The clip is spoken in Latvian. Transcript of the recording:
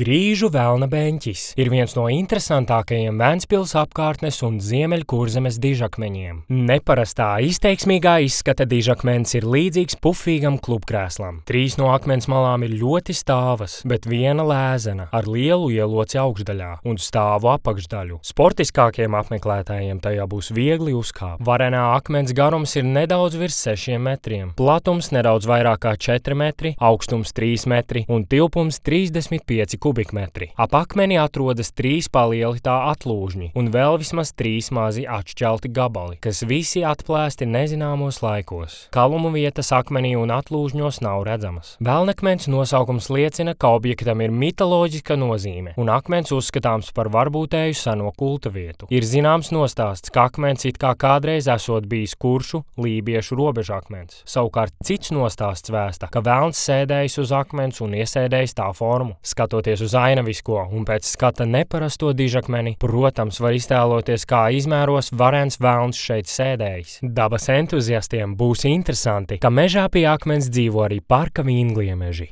Grīžu velna beņķis ir viens no interesantākajiem Ventspils apkārtnes un Ziemeļkurzemes dižakmeņiem. Neparastā, izteiksmīgā izskata dižakmens ir līdzīgs pufīgam klubkrēslam. 3 no akmens malām ir ļoti stāvas, bet viena lēzena ar lielu ieloci augšdaļā un stāvu apakšdaļu. Sportiskākiem apmeklētājiem tajā būs viegli uzkāpt. Varenā akmens garums ir nedaudz virs 6 metriem, platums nedaudz vairāk kā 4 metri, augstums 3 metri un tilpums 35 kubikmetri. Ap akmeni atrodas 3 palieli tā atlūžņi un vēl vismaz 3 mazi atšķelti gabali, kas visi atplēsti nezināmos laikos. Kalumu vietas akmenī un atlūžņos nav redzamas. Velnakmens nosaukums liecina, ka objektam ir mitoloģiska nozīme, un akmens uzskatāms par varbūtēju seno kulta vietu. Ir zināms nostāsts, ka akmens it kā kādreiz esot bijis kuršu, lībiešu robežakmens. Savukārt cits nostāsts vēsta, ka velns sēdējis uz akmens un iesēdējis tā formu. Skatoties uz ainavisko un pēc skata neparasto dižakmeni, protams, var iztēloties, kā izmēros varens velns šeit sēdējis. Dabas entuziastiem būs interesanti, ka mežā pie akmens dzīvo arī parka vīngliemeži.